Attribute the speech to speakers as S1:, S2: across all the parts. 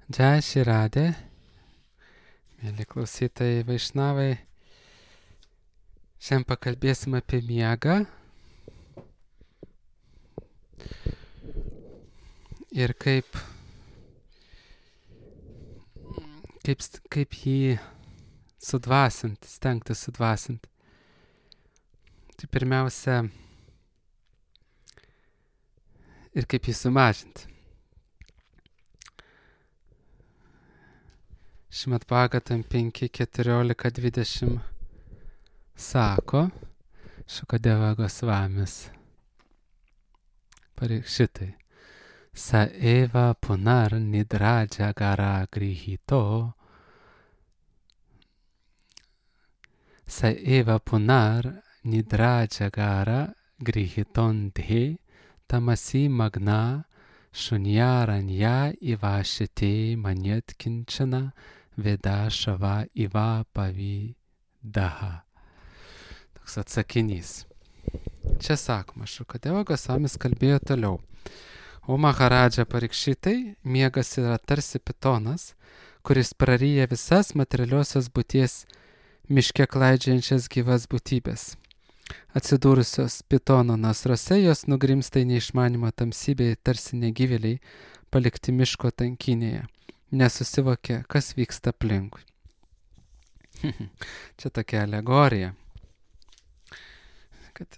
S1: Džai Širadė, mėly klausytojai Vaišnavai, šiandien pakalbėsim apie miegą ir kaip jį sudvasinti, stengtis sudvasinti. Tai pirmiausia, ir kaip jį sumažinti. Šimad Bhagavatam 5.14.20 sako Šukadeva Gosvamis Parikšitai Sa eva punar nidra jagara grihito Sa eva punar nidra jagara grihiton dhe tamasi magna Shunyaranya ivashite manyat kinčana veda šava iva pavidaha. Toks atsakinys. Čia sakoma, Šukadeva Gosvamis kalbėjo toliau. O Maharadža Parikšitai, miegas yra tarsi pitonas, kuris praryja visas materialiosios būties miške klaidžiančias gyvas būtybės. Atsidūrusios pitono nasruose jos nugrimsta į neišmanymą tamsybėje tarsi negyvėliai palikti miško tankinėje, nesusivokia, kas vyksta aplinkui. Čia tokia alegorija, kad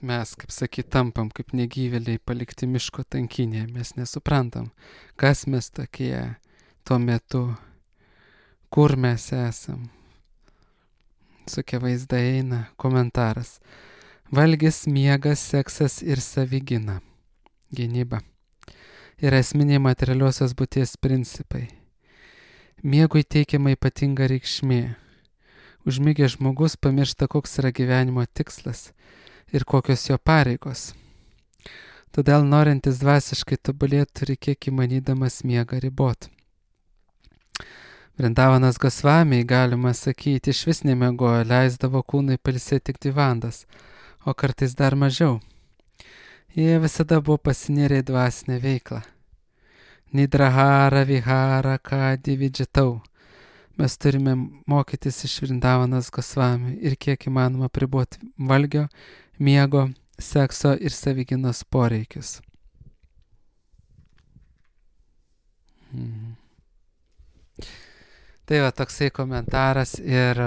S1: mes, kaip sakyt, tampam kaip negyvėliai palikti miško tankinėje, mes nesuprantam, kas mes tokie tuo metu, kur mes esam. Tokie vaizdai eina, komentaras. Valgis, miegas, seksas ir savigyna. Gynyba. Yra esminiai materialiosios būties principai. Miegui teikiama ypatinga reikšmė. Užmigęs žmogus pamiršta, koks yra gyvenimo tikslas ir kokios jo pareigos. Todėl norintis dvasiškai tobulėti turi kiek įmanydamas miegą ribot. Vrindavanas Gosvamiai, galima sakyti, iš vis nemiegojo, leisdavo kūnui pailsėti tik 2 valandas, o kartais dar mažiau. Jie visada buvo pasinėrę į dvasinę veiklą. Nidrahara, vihara, kadi, vidžitau. Mes turime mokytis iš Vrindavanas Gosvamių ir kiek įmanoma apriboti valgio, miego, sekso ir savigynos poreikius. Tai va toksai komentaras ir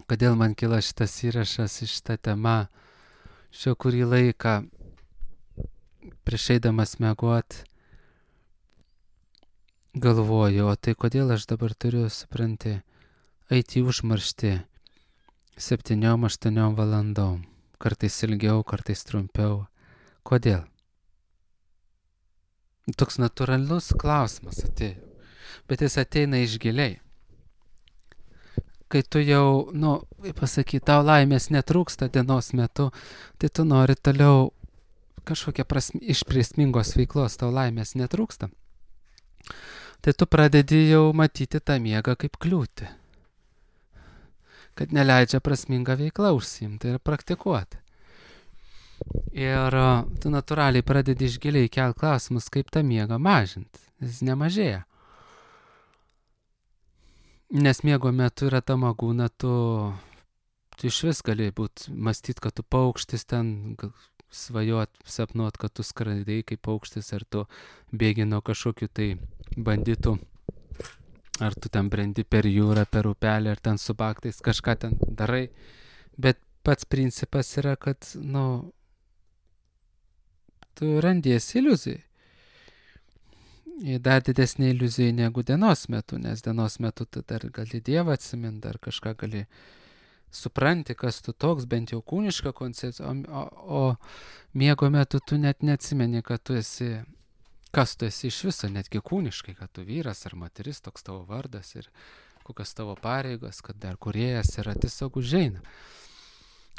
S1: kodėl man kilo šitas įrašas iš šitą temą. Šio kurį laiką prieš eidamas miegot galvoju, o tai kodėl aš dabar turiu, supranti, eiti į užmarštį 7-8 valandom, kartais ilgiau, kartais trumpiau. Kodėl? Toks natūralus klausimas atėjo. Bet jis ateina iš giliai. Kai tu jau, pasakyt, tau laimės netrūksta dienos metu, tai tu nori toliau kažkokia iš prasmingos veiklos, tau laimės netrūksta. Tai tu pradedi jau matyti tą miegą kaip kliūtį. Kad neleidžia prasmingą veiklą užsiimti ir praktikuoti. Ir tu natūraliai pradedi iš giliai kelt klausimus, kaip tą miegą mažinti. Jis nemažėja. Nes miego metu yra ta magūna, tu iš vis gali mąstyt, kad tu paukštis ten, svajot, sapnuot, kad tu skraidai kaip paukštis, ar tu bėgi nuo kažkokių tai banditų, ar tu ten brendi per jūrą, per upelį, ar ten su baktais kažką ten darai. Bet pats principas yra, kad, tu randiesi iliuzijai. Dar didesnė iliuzija negu dienos metu, nes dienos metu tu dar gali Dievą atsiminti, dar kažką gali supranti, kas tu toks, bent jau kūniška koncepcija, o miego metu tu net neatsimeni, kad tu esi, kas tu esi iš viso, netgi kūniškai, kad tu vyras ar moteris, toks tavo vardas ir kokios tavo pareigos, kad dar kūrėjas yra, tiesiog užeina.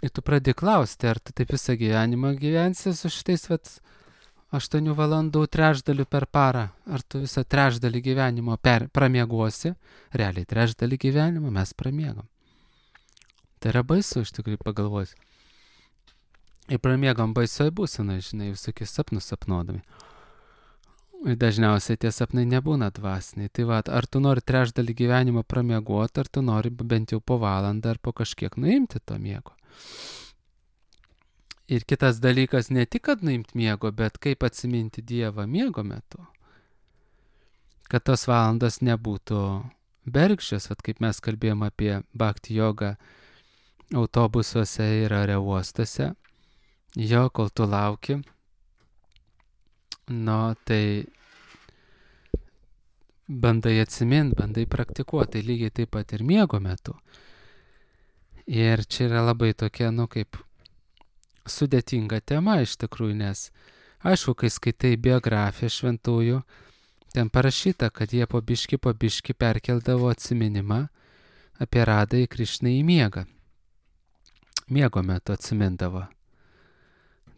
S1: Ir tu pradedi klausti, ar tu taip visą gyvenimą gyvensi su šitais 8 valandų trečdalių per parą, ar tu visą trečdalį gyvenimo pramiegosi, realiai trečdalį gyvenimo mes pramiegam. Tai yra baisu, iš tikrųjų pagalvoti. Ir pramiegam baisioj būsenai, visokius sapnus sapnuodami. dažniausiai tie sapnai nebūna dvasiniai. Tai va, ar tu nori trečdalį gyvenimo pramiegoti, ar tu nori bent jau po valandą ar po kažkiek nuimti to miego. Ir kitas dalykas, ne tik, kad nuimti miego, bet kaip atsiminti Dievą miego metu. Kad tos valandos nebūtų bergždžios, kaip mes kalbėjom apie bhakti jogą autobusuose ir aerouostuose. Jo, kol tu lauki, tai bandai atsiminti, bandai praktikuoti, tai lygiai taip pat ir miego metu. Ir čia yra labai tokia, kaip sudėtinga tema iš tikrųjų, nes aišku, kai skaitai biografiją šventųjų, ten parašyta, kad jie po biški perkeldavo atsiminimą apie Radą į Krišną į miegą. Miego metu atsimindavo.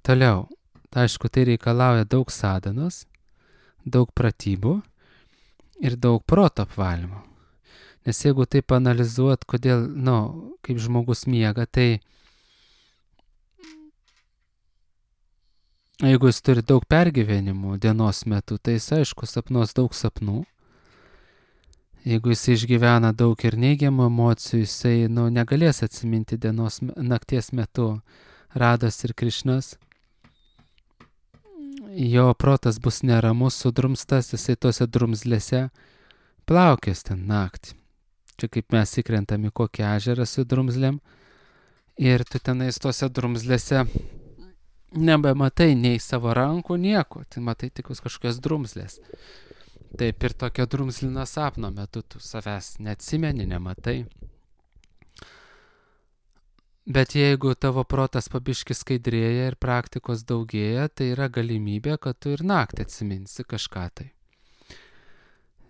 S1: Toliau, aišku, tai reikalauja daug sadanos, daug pratybų ir daug proto apvalymo. Nes jeigu taip analizuot, kodėl, kaip žmogus miega, tai jeigu jis turi daug pergyvenimų dienos metu, tai jis, aišku, sapnuos daug sapnų. Jeigu jis išgyvena daug ir neigiamų emocijų, jisai, negalės atsiminti nakties metu Rados ir Krišnos. Jo protas bus neramus, sudrumstas, jisai tose drumzlėse plaukės ten naktį. Čia kaip mes įkrentam į kokį ežerą su drumzlėm ir tu tenais tose drumzlėse nebematai nei savo rankų, nieko, tai matai tik kažkokios drumzlės. Taip ir tokio drumzlino sapno metu tu savęs neatsimeni, nematai. Bet jeigu tavo protas pabiški skaidrėja ir praktikos daugėja, tai yra galimybė, kad tu ir naktį atsiminsi kažką tai.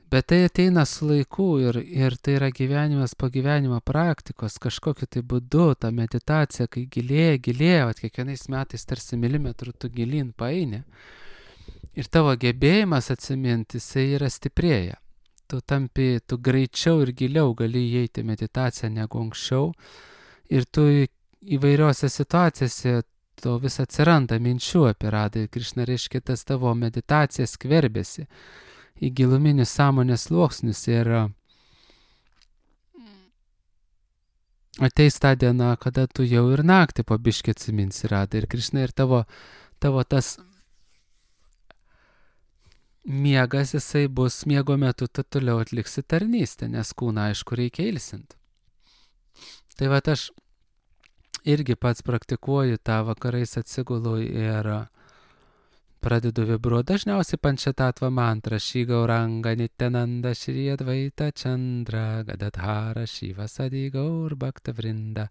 S1: Bet tai ateina su laiku ir tai yra gyvenimas po gyvenimo praktikos, kažkokiu tai būdu, ta meditacija, kai gilėja, kiekvienais metais tarsi milimetrų tu gilin paeini. Ir tavo gebėjimas atsiminti, jisai yra stiprėja. Tu greičiau ir giliau gali įeiti meditaciją negu anksčiau. Ir tu įvairiose situacijose to vis atsiranda minčių apie Radą ir Krišną, reiškia, tas tavo meditacija skverbėsi į giluminius sąmonės sluoksnius ir ateis ta diena, kada tu jau ir naktį po biškį atsiminsi Radą ir Krišną ir tavo tas miegas, jisai bus miego metu, tu toliau atliksi tarnystę, nes kūną, aišku, reikia ilsinti. Tai va, aš irgi pats praktikuoju tą, vakarais atsigulu ir pradedu vibruoti dažniausiai pančatatvą mantrą Šri Gauranga Nityananda Šri Advaita Chandra Gadadhara Shiva Sadi Gaur Bhakta Vrinda.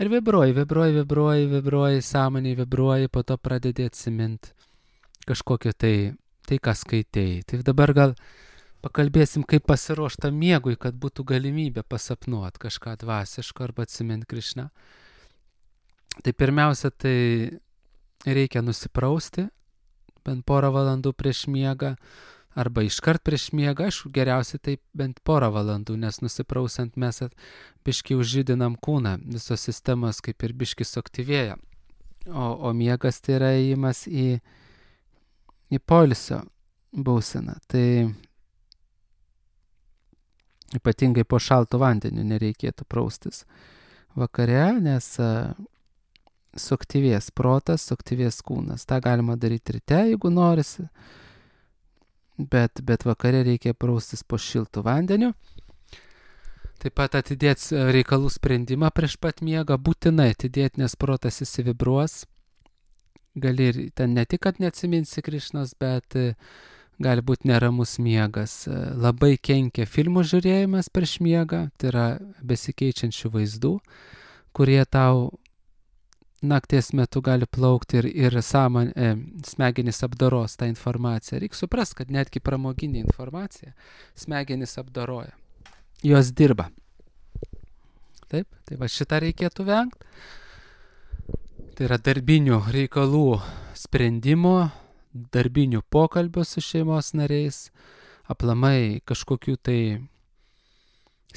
S1: Ir vibruoji, sąmoniai vibruoji, po to pradedi atsiminti kažkokio tai, ką skaitėjai. Tai dabar gal pakalbėsim, kaip pasiruošta miegui, kad būtų galimybė pasapnuoti kažką dvasiško arba atsiminti Krišną. Tai pirmiausia, tai reikia nusiprausti bent porą valandų prieš miegą arba iškart prieš miegą. Aišku, geriausiai tai bent porą valandų, nes nusiprausiant mes biškį užžydinam kūną, visos sistemos kaip ir biškį suaktyvėja. O miegas tai yra įėjimas į poilsio būseną. Tai ypatingai po šaltu vandeniu nereikėtų praustis vakare, nes suaktyvės protas, suaktyvės kūnas. Ta galima daryti ryte, jeigu norisi, bet vakare reikia praustis po šiltų vandeniu. Taip pat atidėti reikalų sprendimą prieš pat miegą, būtinai atidėti, nes protas įsivibruos. Gali ir ten ne tik, kad neatsiminsi Krišnos, bet gali būti neramus miegas. Labai kenkia filmų žiūrėjimas prieš miegą, tai yra besikeičiančių vaizdų, kurie tau nakties metu gali plaukti ir smegenys apdoros tą informaciją. Reikia suprasti, kad netgi pramoginė informacija smegenys apdoroja. Jos dirba. Taip, tai va šitą reikėtų vengti. Tai yra darbinių reikalų sprendimo, darbinių pokalbių su šeimos nariais, aplamai kažkokių tai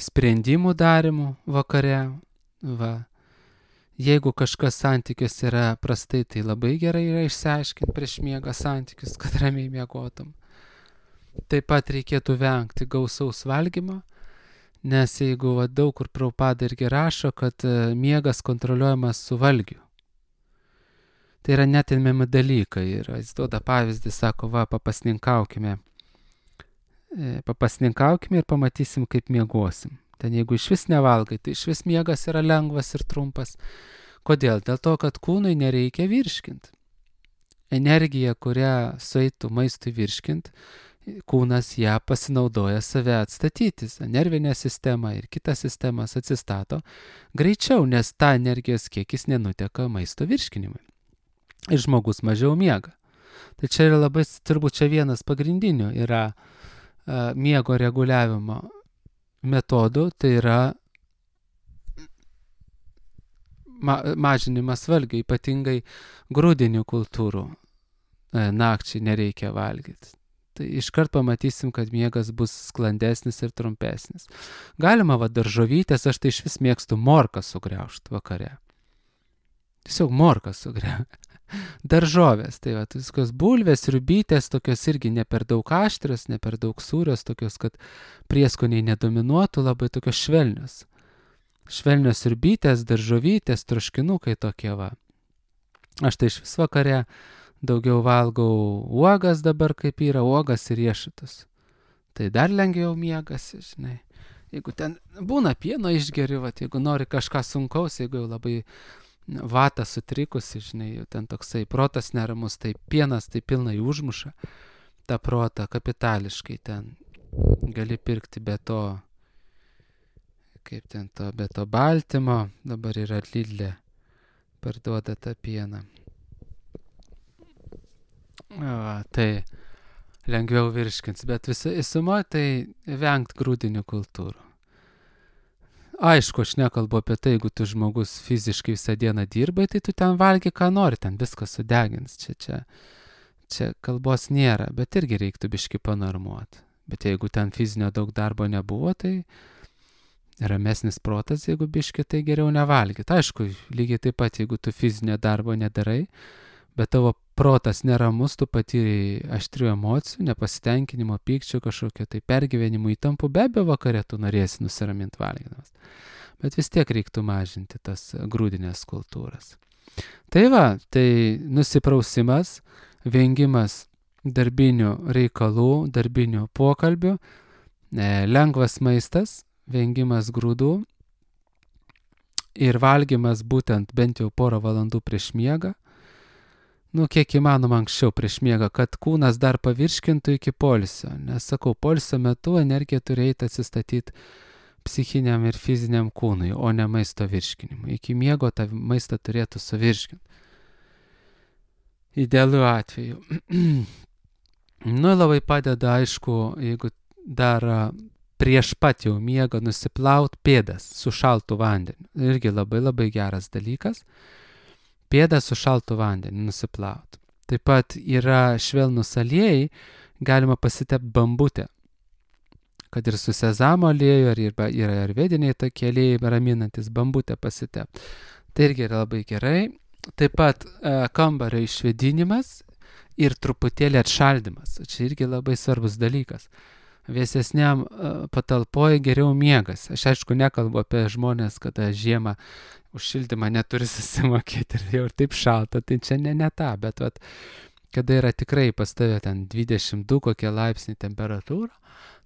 S1: sprendimų darimų vakare. Va. Jeigu kažkas santykius yra prastai, tai labai gerai yra išsiaiškinti prieš miegą santykius, kad ramiai miegotum. Taip pat reikėtų vengti gausaus valgymo, nes jeigu daug kur Prabhupada irgi rašo, kad miegas kontroliuojamas su valgiu. Tai yra netinami dalykai ir jis duoda pavyzdį, sako, papasninkaukime ir pamatysim, kaip miegosim. Ten jeigu iš vis nevalgai, tai iš vis miegas yra lengvas ir trumpas. Kodėl? Dėl to, kad kūnui nereikia virškinti. Energija, kurią sueitų maistui virškinti, kūnas ją pasinaudoja save atstatytis. Nervinė sistema ir kitas sistemas atsistato greičiau, nes ta energijos kiekis nenuteka maisto virškinimui. Ir žmogus mažiau miega. Tai čia yra labai, turbūt čia vienas pagrindinių yra miego reguliavimo metodų, tai yra mažinimas valgio, ypatingai grūdinių kultūrų. Nakčiai nereikia valgyti. Tai iškart pamatysim, kad miegas bus sklandesnis ir trumpesnis. Galima daržovytės, aš tai iš vis mėgstu morką sugriaužti vakare. Tiesiog morką sugriaužti. Daržovės, tai viskos bulvės, riubytės, tokios irgi ne per daug aštrios, ne per daug sūrios, tokios, kad prieskoniai nedominuotų, labai tokios švelnios. Švelnios riubytės, daržovytės, troškinukai tokie va. Aš tai iš vis vakare daugiau valgau uogas dabar, kaip yra uogas ir riešutus. Tai dar lengviau miegasi, žinai. Jeigu ten būna pieno išgeri, jeigu nori kažką sunkaus, jeigu jau labai vata sutrikusi, žinai, jau ten toksai protas neramus, tai pienas tai pilnai užmuša tą protą kapitališkai, ten gali pirkti be to, kaip ten to, be to baltymo, dabar yra Lidle, parduoda tą pieną. Tai lengviau virškins, bet visumą tai vengt grūdinių kultūrų. Aišku, aš nekalbu apie tai, jeigu tu žmogus fiziškai visą dieną dirbai, tai tu ten valgy, ką nori, ten viską sudegins. Čia kalbos nėra, bet irgi reiktų biškį panormuoti. Bet jeigu ten fizinio daug darbo nebuvo, tai ramesnis protas, jeigu biškį, tai geriau nevalgyti. Aišku, lygiai taip pat, jeigu tu fizinio darbo nedarai, bet tavo protas neramus, tu patyrei aštrių emocijų, nepasitenkinimo, pykčio kažkokio, tai pergyvenimų įtampų, be abejo vakare tu norėsi nusiraminti valgydamas. Bet vis tiek reiktų mažinti tas grūdinės kultūras. Tai tai nusiprausimas, vengimas darbinių reikalų, darbinių pokalbių, lengvas maistas, vengimas grūdų ir valgymas būtent bent jau porą valandų prieš miegą, kiek įmanoma anksčiau prieš miegą, kad kūnas dar pavirškintų iki poilsio. Nes sakau, poilsio metu energija turi eiti atsistatyti psichiniam ir fiziniam kūnui, o ne maisto virškinimui. Iki miego tą maistą turėtų suvirškinti. Idealiu atveju. Labai padeda, aišku, jeigu dar prieš pat jau miegą nusiplaut pėdas su šaltu vandeniu. Irgi labai labai geras dalykas. Pėdą su šaltu vandeniu nusiplauti. Taip pat yra švelnus aliejai, galima pasitepti bambutę. Kad ir su sezamo alieju, ar yra ayurvediniai tokie aliejai raminantis, bambutę pasitepti. Tai irgi yra labai gerai. Taip pat kambario išvėdinimas ir truputėlį atšaldymas. Čia irgi labai svarbus dalykas. Vėsesniam patalpoje geriau miegas. Aš aišku nekalbu apie žmonės, kada žiemą už šildymą neturi susimokėti ir jau ir taip šalta, tai čia ne ta, bet kada yra tikrai pas tave ten 22 kokie laipsniai temperatūra,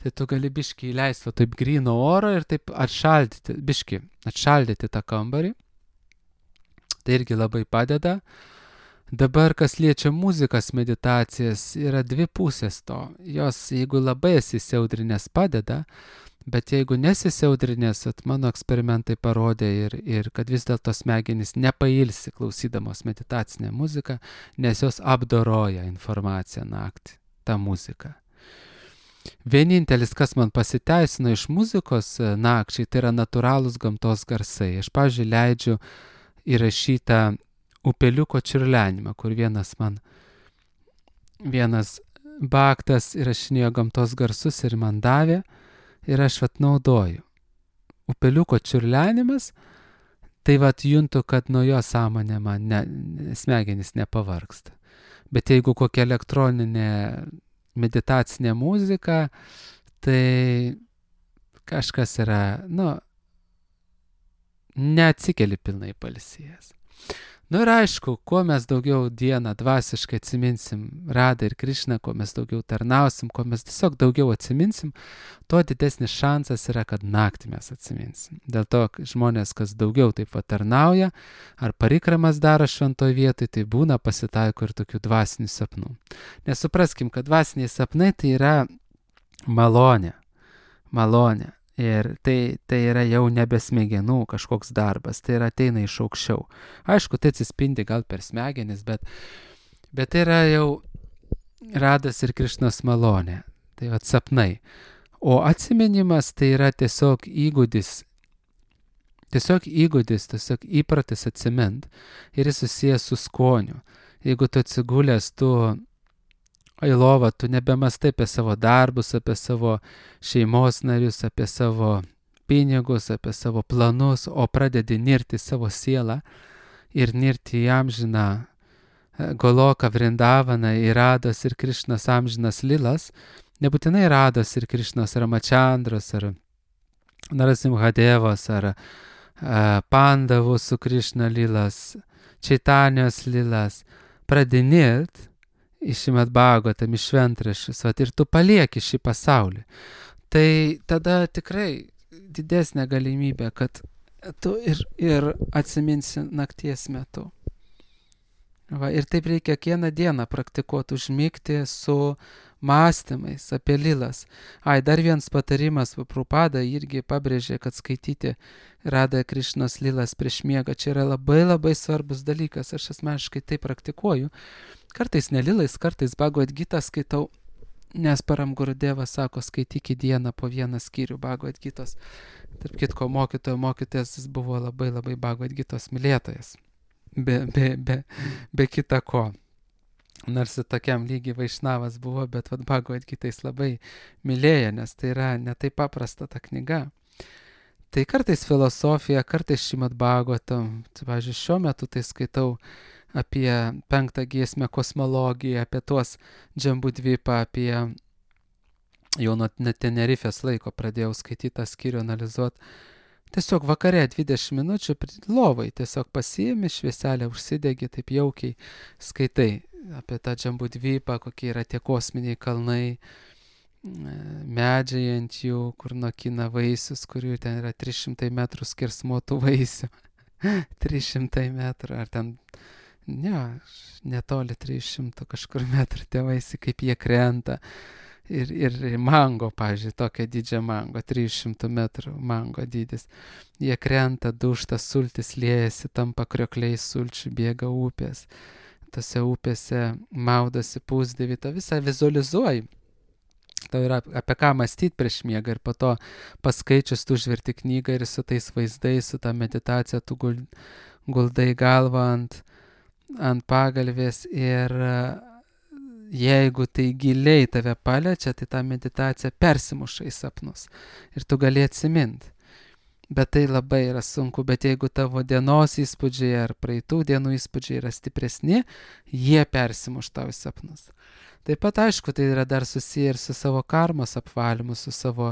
S1: tai tu gali biškį įleisti taip gryno oro ir taip atšaldyti tą kambarį. Tai irgi labai padeda. Dabar, kas liečia muzikas, meditacijas, yra dvi pusės to. Jos, jeigu labai esi įsiaudrinęs, padeda, bet jeigu nesisiaudrinęs, mano eksperimentai parodė ir kad vis dėlto smegenys nepailsi klausydamos meditacinę muziką, nes jos apdoroja informaciją naktį, tą muziką. Vienintelis, kas man pasiteisino iš muzikos nakčiai, tai yra natūralūs gamtos garsai. Aš, pavyzdžiui, leidžiu įrašytą upeliuko čiurlenimą, kur vienas baktas įrašinėjo gamtos garsus ir man davė ir aš naudoju. Upeliuko čiurlenimas Tai vat juntu, kad nuo jo sąmonė man smegenys nepavargsta. Bet jeigu kokia elektroninė meditacinė muzika, tai kažkas yra, neatsikeli pilnai pailsėjęs. Ir aišku, kuo mes daugiau dieną dvasiškai atsiminsim Radą ir Krišną, kuo mes daugiau tarnausim, kuo mes tiesiog daugiau atsiminsim, tuo didesnis šansas yra, kad naktį mes atsiminsim. Dėl to žmonės, kas daugiau taip tarnauja, ar parikramas daro šventoj vietoj, tai būna pasitaiko ir tokių dvasinių sapnų. Nesupraskim, kad dvasiniai sapnai tai yra malonė. Ir tai yra jau nebe smegenų kažkoks darbas, tai yra ateina iš aukščiau. Aišku, tai atsispindi gal per smegenis, bet tai yra jau Radas ir Krišnos malonė, tai sapnai. O atsiminimas tai yra tiesiog įgūdis, tiesiog įpratis atsimint ir jis susijęs su skoniu. Jeigu tu atsigulęs, tu į lovą, tu nebemastai apie savo darbus, apie savo šeimos narius, apie savo pinigus, apie savo planus, o pradedi nirti savo sielą ir nirti į amžiną Goloką, Vrindavaną, į Rados ir Krišnos amžinas lilas. Nebūtinai Rados ir Krišnos Ramachandros ar Narasimhadevos ar Pandavų su Krišna lilas, Čaitanijos lilas. Pradedi nirt iš Šrimad Bhagavatam, iš šventraščius, ir tu palieki šį pasaulį. Tai tada tikrai didesnė galimybė, kad tu ir atsiminsi nakties metu. Ir taip reikia kiekvieną dieną praktikuoti, užmigti su mąstymais apie lilas. Dar vienas patarimas, Prabhupada irgi pabrėžė, kad skaityti Radha Krišnos lilas prieš miegą, čia yra labai labai svarbus dalykas, aš asmeniškai tai praktikuoju. Kartais nelilais, kartais Bhagavad Gitą skaitau, nes Param Gurudevas sako, skaityk į dieną po vieną skyrių Bhagavad Gitos. Tarp kitko, mokytojas jis buvo labai labai Bhagavad Gitos mylėtojas. Be kita ko. Nors tokiam lygiai Vaišnavas buvo, bet Bhagavad Gitą jis labai mylėjo, nes tai yra netai paprasta ta knyga. Tai kartais filosofija, kartais Šrimad Bhagavatam. Pavyzdžiui, šiuo metu tai skaitau apie 5 giesmę kosmologiją, apie tuos Džambudvipą, apie jau nuo Tenerifės laiko pradėjau skaityti tą skyrių, analizuoti. Tiesiog vakare 20 minučių lovai tiesiog pasiimi, švieselę užsidegi, taip jaukiai skaitai apie tą Džambudvipą, kokie yra tie kosminiai kalnai, medžiai ant jų, kur nokina vaisius, kurių ten yra 300 metrų skersmuotų vaisių. 300 metrų, ar ten netoli 300 kažkur metrų tie vaisiai, kaip jie krenta. Ir mango, pavyzdžiui, tokia didžia mango, 300 metrų mango dydis. Jie krenta, dūžta, sultis liejasi, tampa kriokliais sulčių, bėga upės. Tose upėse maudosi pusdievį, tą visą vizualizuoji. Tau yra apie ką mąstyti prieš miegą ir po to paskaičius tu užverti knygą ir su tais vaizdais, su ta meditacija tu guldai galvą ant pagalvės ir jeigu tai giliai tave paliečia, tai ta meditacija persimuša į sapnus ir tu gali atsiminti. Bet tai labai yra sunku, bet jeigu tavo dienos įspūdžiai ar praeitų dienų įspūdžiai yra stipresni, jie persimuš tau į sapnus. Taip pat, aišku, tai yra dar susiję ir su savo karmos apvalymu, su savo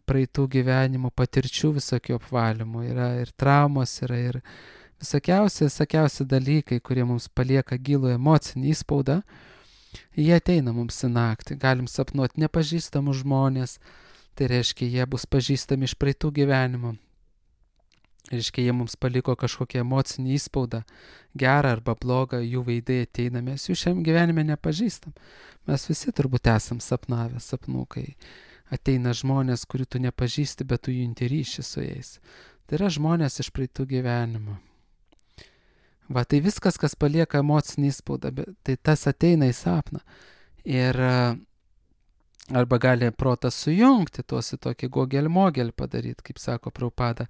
S1: praeitų gyvenimų patirčių visokių apvalymų. Yra ir traumos, yra ir visokiausi dalykai, kurie mums palieka gilų emocinį įspaudą. Jie ateina mums į naktį. Galim sapnuoti nepažįstamus žmonės, tai reiškia, jie bus pažįstami iš praeitų gyvenimų. Reiškia, jie mums paliko kažkokią emocinį įspaudą, gerą arba blogą, jų veidai ateina, mes jų šiam gyvenime nepažįstam. Mes visi turbūt esam sapnavę sapnų, kai ateina žmonės, kurių tu nepažįsti, bet tu junti ryšį su jais. Tai yra žmonės iš praeitų gyvenimų. Tai viskas, kas palieka emocinį įspaudą, tai tas ateina į sapną. Ir arba gali protas sujungti tuos į tokį gogelį-mogelį padaryti, kaip sako Prabhupada.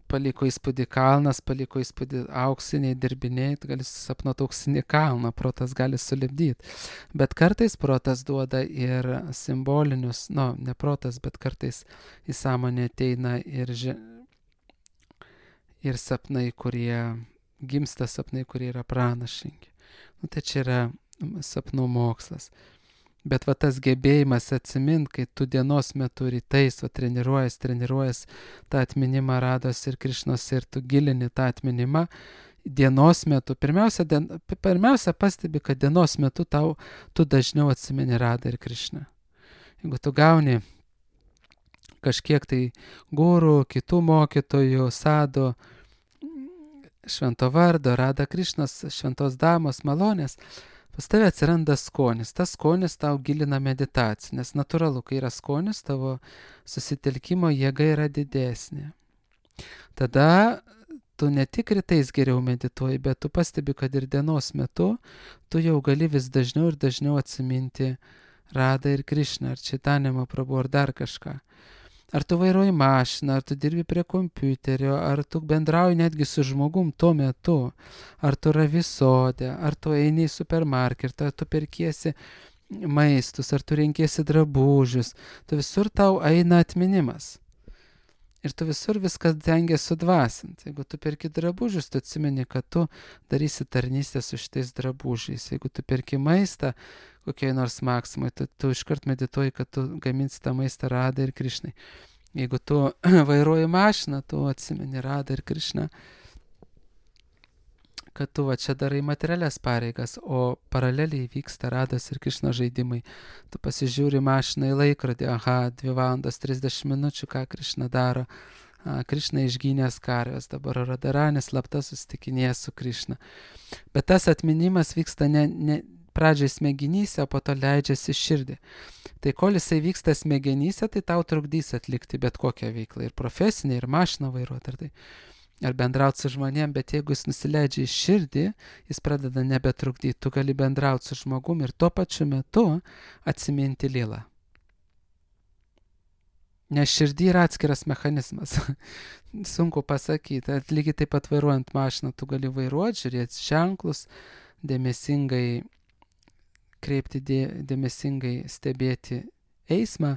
S1: Paliko įspūdį kalnas, paliko įspūdį auksiniai dirbiniai, gali susapnuoti auksinį kalną, protas gali sulipdyti. Bet kartais protas duoda ir simbolinius, ne protas, bet kartais į sąmonę ateina ir ir sapnai, kurie gimsta sapnai, kurie yra pranašingi. Tai čia yra sapnų mokslas. Bet va tas gebėjimas atsimint, kai tu dienos metu rytais treniruojas tą atminimą Rados ir Krišnos ir tu gilini tą atminimą, dienos metu, pirmiausia pastebi, kad dienos metu tu dažniau atsimeni Radą ir Krišną. Jeigu tu gauni kažkiek tai gurų, kitų mokytojų, sadų, švento vardo, Rada Krišnos, šventos damos malonės, pas tave atsiranda skonis. Tas skonis tau gilina meditaciją, nes natūralu, kai yra skonis, tavo susitelkimo jėga yra didesnė. Tada tu ne tik rytais geriau medituoji, bet tu pastebi, kad ir dienos metu tu jau gali vis dažniau ir dažniau atsiminti Radą ir Krišną, ar Čaitanją Mahaprabhu, ar dar kažką. Ar tu vairuoji mašiną, ar tu dirbi prie kompiuterio, ar tu bendrauji netgi su žmogum tuo metu, ar tu ravi sode, ar tu eini į supermarketą, ar tu perkiesi maistus, ar tu renkiesi drabužius, tu visur tau eina atminimas. Ir tu visur viskas tengiasi sudvasinti. Jeigu tu perki drabužius, tu atsimeni, kad tu darysi tarnystę su šitais drabužiais. Jeigu tu perki maistą kokiai nors Maksimai, tu iškart medituoji, kad tu gaminsi tą maistą Radai ir Krišnai. Jeigu tu vairuoji mašiną, tu atsimeni Radą ir Krišną, kad tu va čia darai materialias pareigas, o paraleliai vyksta Rados ir Krišnos žaidimai. Tu pasižiūri mašiną į laikrodį, 2 valandos 30 minučių, ką Krišna daro. Krišna išgynęs karves, dabar Radaranis slapta susitikinėja su Krišna. Bet tas atminimas vyksta ne pradžiai smegenyse, o po to leidžiasi širdį. Tai kol jisai vyksta smegenyse, tai tau trukdys atlikti bet kokią veiklą, ir profesinę, ir mašiną vairuoti, ar bendrauti su žmonėm, bet jeigu jis nusileidžia į širdį, jis pradeda nebetrukdyti, tu gali bendrauti su žmogum ir tuo pačiu metu atsiminti lilą. Nes širdį yra atskiras mechanizmas. Sunku pasakyti. Lygiai taip pat vairuojant mašiną, tu gali vairuoti, žiūrėti ženklus, dėmesingai stebėti eismą,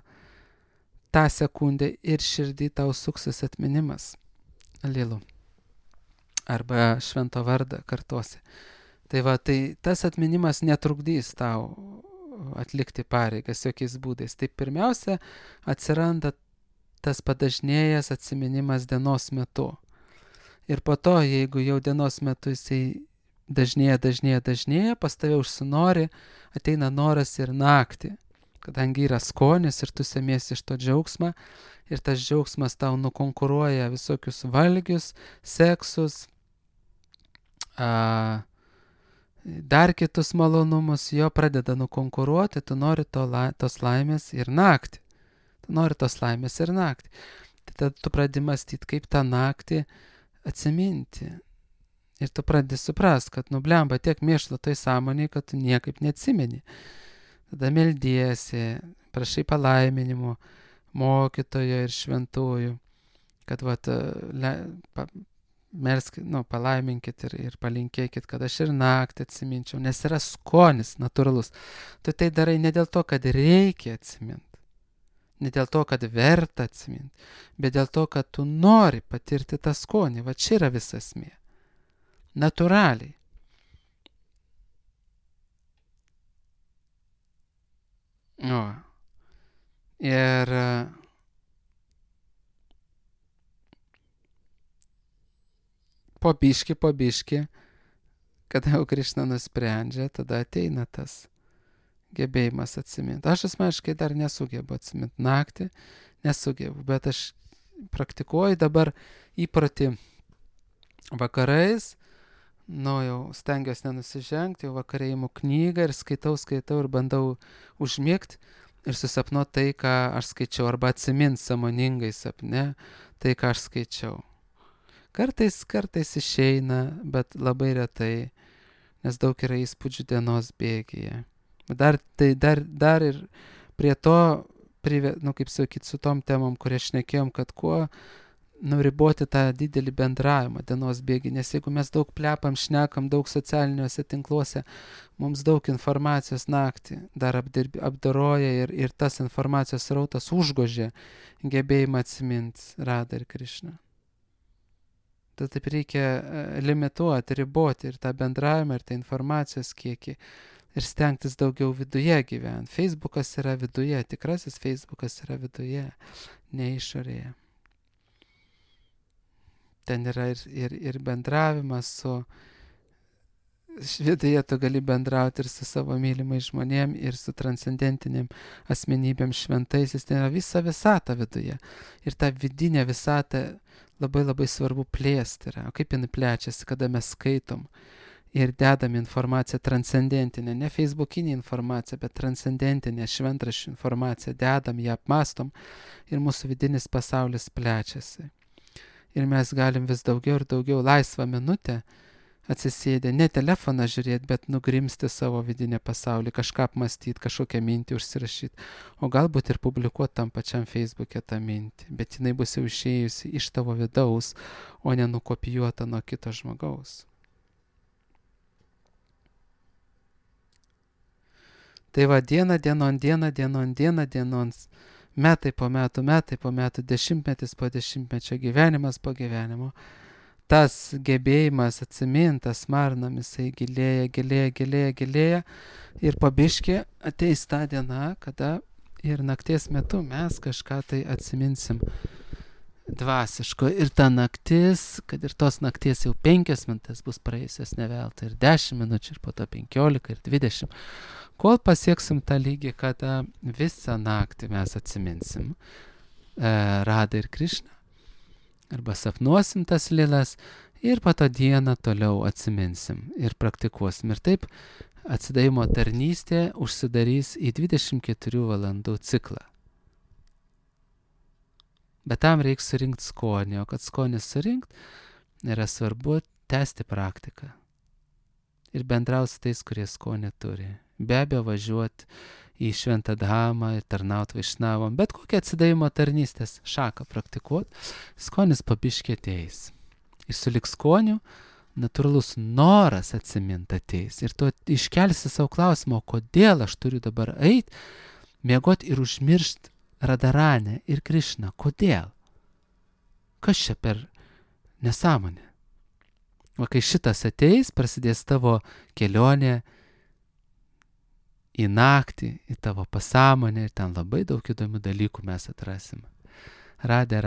S1: tą sekundę ir širdį tau suksis atminimas lilų. Arba švento vardą kartosi. Tai va, tai tas atminimas netrukdys tau atlikti pareigas jokiais būdais. Tai pirmiausia atsiranda tas padažnėjęs atsiminimas dienos metu. Ir po to, jeigu jau dienos metu jisai dažnėja, pas tave užsinori, ateina noras ir naktį, kadangi yra skonis ir tu semiesi iš to džiaugsmą, ir tas džiaugsmas tau nukonkuruoja visokius valgius, seksus, dar kitus malonumus, jo pradeda nukonkuruoti, tu nori tos laimės ir naktį. Tai tada tu pradedi mąstyti, kaip tą naktį atsiminti. Ir tu pradedi suprast, kad blemba tiek mėšlo toj sąmonėj, kad tu niekaip neatsimeni. Tada meldiesi, prašai palaiminimų mokytojo ir šventųjų, kad palaiminkit ir palinkėkit, kad aš ir naktį atsiminčiau, nes yra skonis natūralus. Tu tai darai ne dėl to, kad reikia atsiminti, ne dėl to, kad verta atsiminti, bet dėl to, kad tu nori patirti tą skonį. Va čia yra visa esmė. Natūraliai. Ir po biškį, kada jau Krišna nusprendžia, tada ateina tas gebėjimas atsiminti. Aš asmeniškai dar nesugebu atsiminti naktį, bet aš praktikuoju dabar įprotį vakarais, jau stengiuosi nenusižengti, jau vakarai imu knygą ir skaitau ir bandau užmigti ir susapnuoti tai, ką aš skaičiau, arba atsiminti sąmoningai sapne tai, ką aš skaičiau. Kartais išeina, bet labai retai, nes daug yra įspūdžių dienos bėgyje. Dar ir prie to, kaip sakyti, su tom temom, kurie šnekėjom, kad kuo riboti tą didelį bendravimą dienos bėgį, nes jeigu mes daug plepam, šnekam, daug socialiniuose tinkluose, mums daug informacijos naktį dar apdoroja ir tas informacijos srautas užgožia gebėjimą atsiminti Radą ir Krišną. Tai taip reikia limituoti, riboti ir tą bendravimą, ir tą informacijos kiekį. Ir stengtis daugiau viduje gyventi. Facebookas yra viduje, tikrasis Facebookas yra viduje, ne išorėje. Ten yra ir bendravimas su... Viduje tu gali bendrauti ir su savo mylimais žmonėm, ir su transcendentiniam asmenybėm šventaisiais. Ten yra visa visata viduje. Ir tą vidinę visatą labai labai svarbu plėsti yra. O kaip jinai plečiasi, kada mes skaitom ir dedam informaciją transcendentinę, ne facebookinę informaciją, bet transcendentinę šventraščių informaciją, dedam ją, apmastom ir mūsų vidinis pasaulis plečiasi. Ir mes galim vis daugiau ir daugiau laisvą minutę atsisėdę, ne telefoną žiūrėti, bet nugrimsti savo vidinę pasaulį, kažką apmastyti, kažkokią mintį užsirašyti, o galbūt ir publikuoti tam pačiam Facebook'e tą mintį, bet jinai bus jau išėjusi iš tavo vidaus, o ne nukopijuota nuo kito žmogaus. Tai va, diena dienon, metai po metų, dešimtmetis po dešimtmečio, gyvenimas po gyvenimo, tas gebėjimas atsiminti, tas marnam, jisai gilėja ir po biškį ateis ta diena, kada ir nakties metu mes kažką tai atsiminsim dvasiško. Ir ta naktis, kad ir tos nakties jau 5 minutės bus praėjusios ne veltui, ir 10 minučių, ir po to 15, ir 20. Kol pasieksim tą lygį, kada visą naktį mes atsiminsim Radą ir Krišną, arba sapnuosim tas lilas, ir po to dieną toliau atsiminsim ir praktikuosim. Ir taip atsidavimo tarnystė užsidarys į 24 valandų ciklą. Bet tam reikia surinkti skonį, o kad skonį surinkt, yra svarbu tęsti praktiką. Ir bendrauti su tais, kurie skonį turi. Be abejo važiuoti į Šventą Dhamą ir tarnauti vaišnavom, bet kokią atsidavimo tarnystės šaką praktikuoti, skonis pabiškį ateis. Ir sulik skonių natūralus noras atsiminti ateis. Ir tu iškelsi savo klausimą, kodėl aš turiu dabar eiti, miegoti ir užmiršti Radharanę ir Krišną. Kodėl? Kas čia per nesąmonė? O kai šitas ateis, prasidės tavo kelionė į naktį, į tavo pasąmonę, ir ten labai daug įdomių dalykų mes atrasim. Radė.